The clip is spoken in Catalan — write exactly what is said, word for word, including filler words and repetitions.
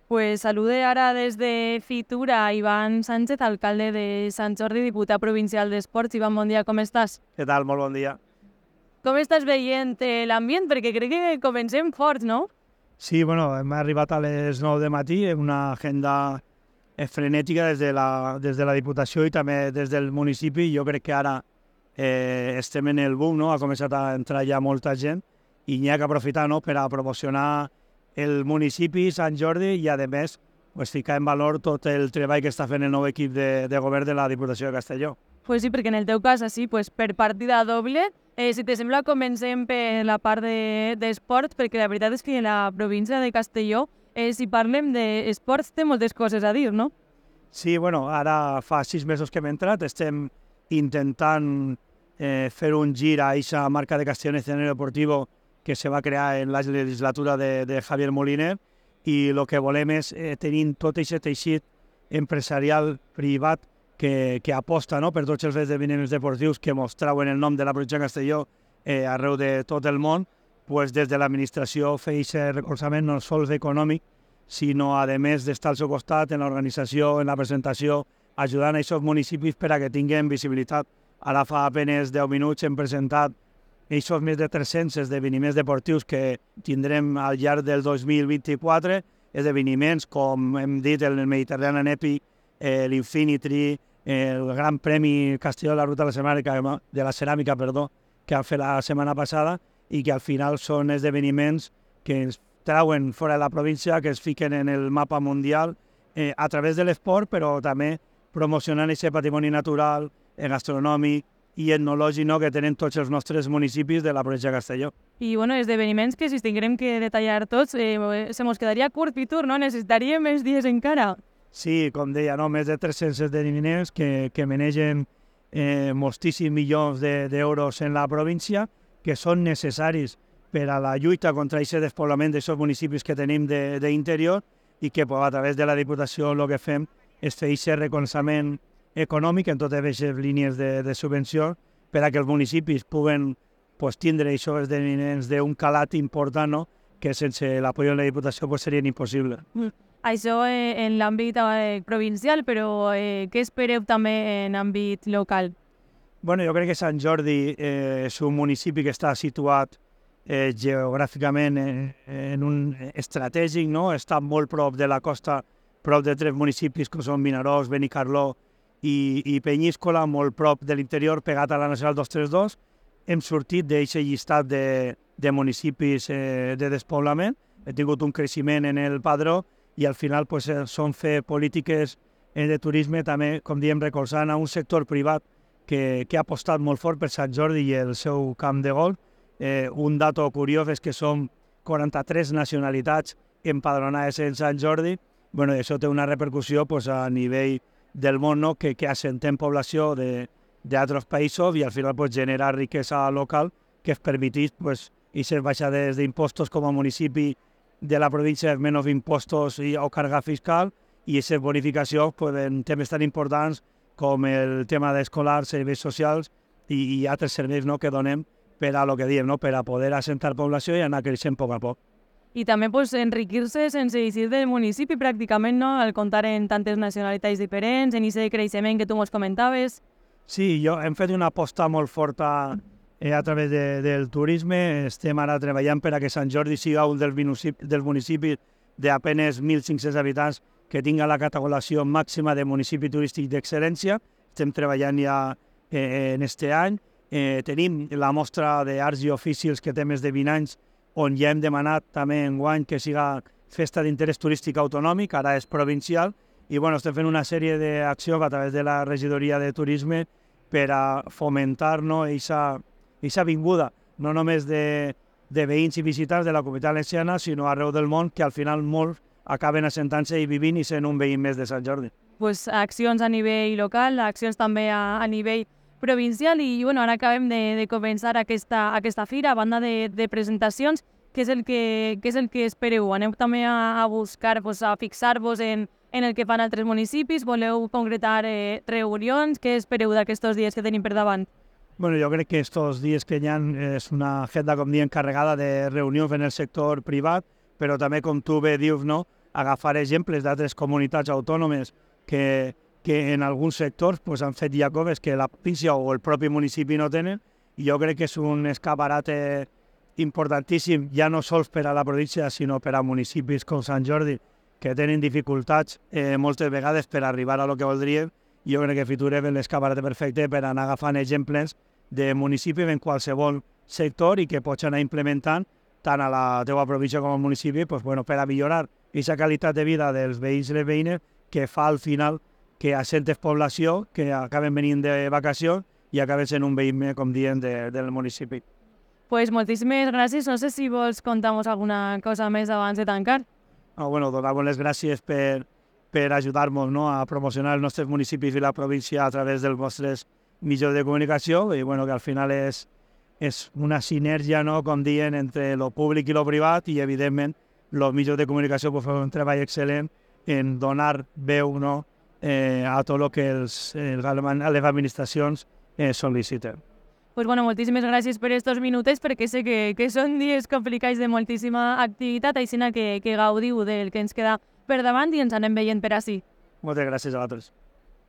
Pues salude ara des de Fitura a Ivan Sánchez, alcalde de Sant Jordi, diputat provincial d'Esports. Ivan, bon dia, com estàs? Què tal? Molt bon dia. Com estàs veient eh, l'ambient? Perquè crec que comencem forts, no? Sí, bueno, hem arribat a les nou de matí, una agenda eh, frenètica des de, la, des de la Diputació i també des del municipi. Jo crec que ara eh, estem en el boom, no? Ha començat a entrar ja molta gent i n'hi ha que aprofitar, no?, per a promocionar el municipi, Sant Jordi, i a més pues, ficar en valor tot el treball que està fent el nou equip de, de govern de la Diputació de Castelló. Pues sí, perquè en el teu cas, així, pues, per partida doble, eh, si te sembla, comencem per la part d'esports, de, perquè la veritat és que la província de Castelló, eh, si parlem d'esports, té moltes coses a dir, no? Sí, bueno, ara fa sis mesos que hem entrat, estem intentant eh, fer un gir a aquesta marca de Castelló en escenario deportivo que se va crear en la legislatura de, de Javier Moliner, i el que volem és eh, tenir tot aquest teixit empresarial privat que, que aposta, no?, per tots els esdeveniments deportius que mos trauen el nom de la província de Castelló eh, arreu de tot el món. Pues des de l'administració fer aquest recolzament no sols econòmic, sinó a més d'estar al seu costat en l'organització, en la presentació, ajudant a aquests municipis per a que tinguin visibilitat. Ara fa apenes deu minuts hem presentat aquests més de tres-cents esdeveniments deportius que tindrem al llarg del dos mil vint-i-quatre, esdeveniments com hem dit el Mediterranean Epic, eh, l'Infinity, eh, el Gran Premi Castelló de la Ruta de la Ceràmica, de la Ceràmica perdó, que han fet la setmana passada, i que al final són esdeveniments que ens trauen fora de la província, que es fiquen en el mapa mundial eh, a través de l'esport, però també promocionant aquest patrimoni natural, eh, gastronòmic i etnològic, no?, que tenen tots els nostres municipis de la província de Castelló. I bueno, esdeveniments que si els tinguem que detallar tots, eh, se mos quedaria curt, Pitur, no? Necessitaríem més dies encara. Sí, com deia, no? Més de tres-cents esdeveniments que, que manegen eh, moltíssims milions d'euros de, en la província, que són necessaris per a la lluita contra aquest despoblament d'aquests municipis que tenim d'interior, i que pues, a través de la Diputació el que fem és fer aquest recolzament econòmic en totes aquestes línies de, de subvenció per a que els municipis puguen pues, tindre aquests esdeveniments d'un calat important, no?, que sense l'apoyo de la Diputació pues, serien impossibles. Mm. Això eh, en l'àmbit eh, provincial, però eh, què espereu també en àmbit local? Bueno, jo crec que Sant Jordi eh, és un municipi que està situat eh, geogràficament eh, en un estratègic, no? Està molt prop de la costa, prop de tres municipis com són Vinaròs, Benicarló i, i Penyíscola, molt prop de l'interior, pegat a la Nacional dos cents trenta dos. Hem sortit d'aquest llistat de, de municipis eh, de despoblament, hem tingut un creixement en el padró i al final pues, són fer polítiques eh, de turisme també, com diem, recolzant a un sector privat que, que ha apostat molt fort per Sant Jordi i el seu camp de golf. Eh, un dato curiós és que som quaranta-tres nacionalitats empadronades en Sant Jordi. Bueno, això té una repercussió pues, a nivell del món, no?, que, que assentem població d'altres països i al final pues, genera riquesa local que es permetís pues, aquestes baixades d'impostos com a municipi de la província, menys impostos i, o càrrega fiscal, i aquestes bonificacions pues, en temes tan importants com el tema d'escolars, serveis socials i, i altres serveis, no?, que donem per a lo que diem, no?, per a poder assentar població i anar creixent a poc a poc. I també pues, enriquir-se sense eixir del municipi pràcticament, no?, al comptar en tantes nacionalitats diferents, en aquest creixement que tu mos comentaves. Sí, jo hem fet una aposta molt forta eh, a través de, del turisme. Estem ara treballant per a que Sant Jordi siga un dels municipis, dels municipis d'apenes mil cinc-cents habitants que tinga la categorització màxima de municipi turístic d'excel·lència. Estem treballant ja eh, en este any. Eh, tenim la mostra d'arts i oficis que té més de vint anys, on ja hem demanat també enguany que siga festa d'interès turístic autonòmic, ara és provincial, i bueno, estem fent una sèrie d'accions a través de la regidoria de turisme per a fomentar no, aquesta vinguda, no només de, de veïns i visitants de la comunitat valenciana, sinó arreu del món, que al final molts acaben assentant-se i vivint i sent un veí més de Sant Jordi. Pues, accions a nivell local, accions també a, a nivell provincial, i bueno, ara acabem de, de començar aquesta, aquesta fira, a banda de, de presentacions. Què és el que, què és el que espereu? Aneu també a, a buscar, pues, a fixar-vos en, en el que fan altres municipis? Voleu concretar eh, reunions? Què espereu d'aquests dies que tenim per davant? Bueno, jo crec que aquests dies que hi ha és una agenda, com diem, carregada de reunions en el sector privat, però també, com tu bé dius, no? agafar exemples d'altres comunitats autònomes que, que en alguns sectors pues, han fet ja coses que la província o el propi municipi no tenen, i jo crec que és un escaparate importantíssim, ja no sols per a la província, sinó per a municipis com Sant Jordi, que tenen dificultats eh, moltes vegades per arribar a lo que voldrien. Jo crec que Fitur és l'escaparate perfecte per anar agafant exemples de municipis en qualsevol sector i que pots anar implementant tant a la teva província com al municipi pues, bueno, per a millorar aquesta qualitat de vida dels veïns i les veïnes que fa al final que assentes població que acaben venint de vacacions i acaben sent un veïn, com diem, de, del municipi. Pues moltíssimes gràcies. No sé si vols contar-nos alguna cosa més abans de tancar. Ah, bueno, donar-vos les gràcies per, per ajudar-nos, no, a promocionar els nostres municipis i la província a través dels vostres mitjans de comunicació i bueno, que al final és, és una sinergia, no, com diuen, entre lo públic i lo privat i evidentment els mitjans de comunicació pues, fan un treball excel·lent en donar veu, no, eh, a tot el que els, els, les administracions eh, sol·liciten. Pues bueno, moltíssimes gràcies per estos minuts, perquè sé que, que són dies complicats de moltíssima activitat, així que, que gaudiu del que ens queda per davant i ens anem veient per ací. Moltes gràcies a vosaltres.